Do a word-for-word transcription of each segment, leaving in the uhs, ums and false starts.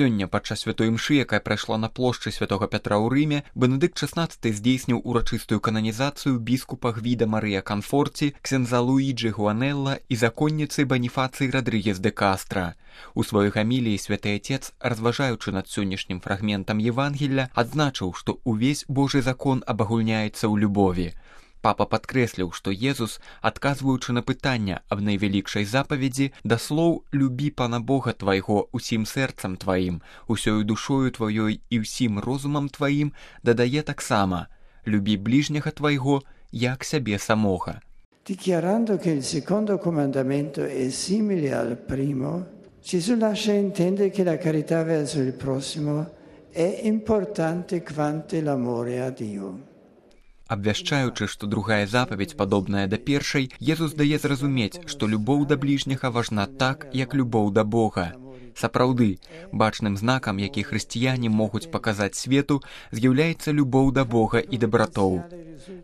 Сёння падчас святой імшы, якая прайшла на плошчы святога Пятра ў Рыме, Бенедыкт шаснаццаты здзейсніў урачыстую кананізацыю біскупа Гвіда Марыя Канфорці, ксяндза Луіджы Гуанелла і законніцы Баніфацыі Радрыгес де Кастра. У сваёй гаміліі святы Отец, разважаючы над сённяшнім фрагментам Евангелля, адзначыў, што ўвесь Божы закон абагульняецца ў любові. Папа падкрэсліў, што Езус, адказваючы на пытання аб найвялікшай запаведзі, да слоў «Любі Пана Бога твайго усім сэрцам тваім, усёю душою тваёй і ўсім розумам тваім», дадае таксама «Любі ближняга твайго, як сябе самога». Dichiarando che il secondo comandamento è simile al primo, Gesù lascia intendere che la carità verso il prossimo è importante quanto l'amore a Dio. Абвяшчаючы, што другая запаведь падобная да першай, Езус дае зразумець, што любоў да бліжняга важна так, як любоў да Бога. Сапраўды, бачным знакам, які хрысціяне могуць паказаць свету, з'яўляецца любоў да Бога і дабратоў.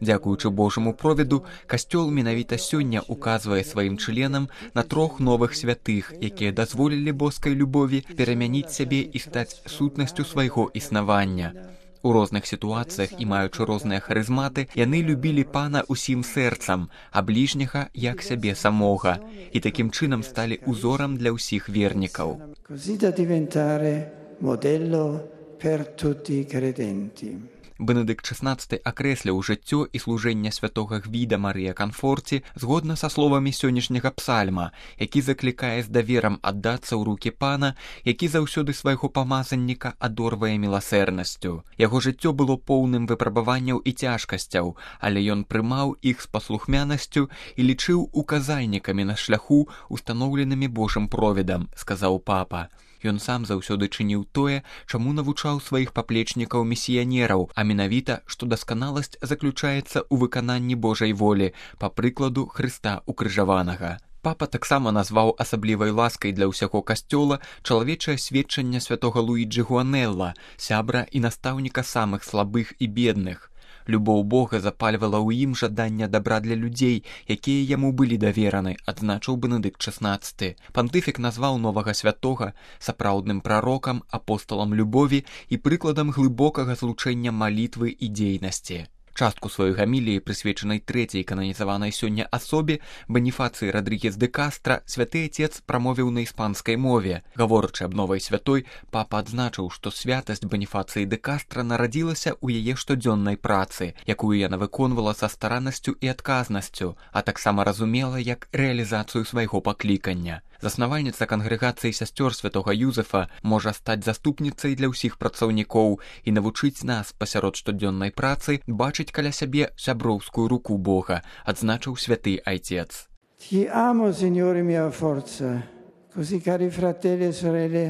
Дзякуючы Божаму провіду, Касцёл менавіта сёння указвае сваім членам на трох новых святых, якія дазволілі боскай любові перамяніць сябе і стаць сутнасцю свайго існавання. У розных сітуацыях і маючы розныя харызматы, яны любілі Пана усім сэрцам, а бліжняга як сябе самога, і такім чынам сталі узорам для ўсіх вернікаў. Così da diventare modello per tutti i credenti. Бенедыкт шаснаццаты акрэсліў жыццё і служэнне святога Гвіда Марыя Канфорці згодна са словамі сённяшняга псальма, які заклікае з даверам аддацца ў рукі Пана, які заўсёды свайго памазанніка адорвае міласэрнасцю. Яго жыццё было поўным выпрабаванняў і цяжкасцяў, але ён прымаў іх з паслухмянасцю і лічыў указальнікамі на шляху, устаноўленымі Божым провідам, сказаў папа. Ён сам заўсёды чыніў тое, чаму навучаў сваіх паплечнікаў-місіянераў, а менавіта, што дасканаласць заключаецца ў выкананні Божай волі, па прыкладу Хрыста укрыжаванага. Папа таксама назваў асаблівай ласкай для ўсяго касцёла чалавечае сведчанне святога Луіджы Гуанелла, сябра і настаўніка самых слабых і бедных. Любоў Бога запальвала ў ім жаданне дабра для людзей, якія яму былі давераны, адзначыў Бенедыкт шаснаццаты. Пантыфік назваў новага святога сапраўдным прарокам, апосталам любові і прыкладам глыбокага злучэння малітвы і дзейнасці. Частку сваёй гаміліі, прысвечанай трэцяй кананізаванай сёння асобе, Баніфацыі Радрыгес де Кастра, святы Отец прамовіў на іспанскай мове. Гаворачы аб новай святой, папа адзначыў, што святасць Баніфацыі де Кастра нарадзілася ў яе штодзённай працы, якую яна выконвала са стараннасцю і адказнасцю, а таксама разумела як рэалізацыю свайго паклікання. Заснавальніца кангрэгацыі сясцёр святога Юзефа можа стаць заступніцай для ўсіх працаўнікоў і навучыць нас пасярод штодзённай працы бачыць каля сябе сяброўскую руку Бога, адзначыў святы Отец. Ti amo, Signore mia forza, così cari fratelli e sorelle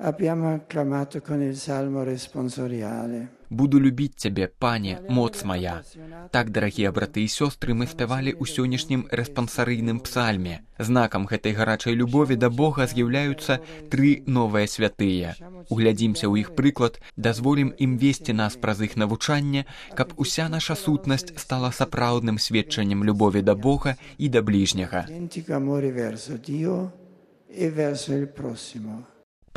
abbiamo acclamato con il salmo responsoriale. «Буду любіць цябе, Пане, моц мая». Так, дарагія браты і сёстры, мы спявалі ў сённяшнім рэспансарыйным псальме. Знакам гэтай гарачай любові да Бога з'яўляюцца тры новыя святыя. Углядзімся ў іх прыклад, дазволім ім весці нас праз іх навучанне, каб уся наша сутнасць стала сапраўдным сведчаннем любові да Бога і да бліжняга.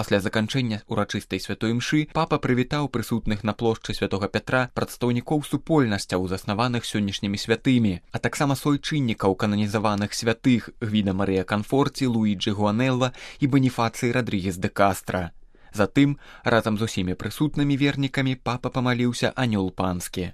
Пасля заканчэння урачыстай святой імшы папа прывітаў прысутных на плошчы святога Пятра прадстаўнікоў супольнасцяў, заснаваных сённяшнімі святымі, а таксама суайчыннікаў кананізаваных святых Гвіда Марыя Канфорці, Луіджы Гуанелла і Баніфацыі Радрыгес де Кастра. Затым, разам з усімі прысутнымі вернікамі, папа памаліўся анёл панскі.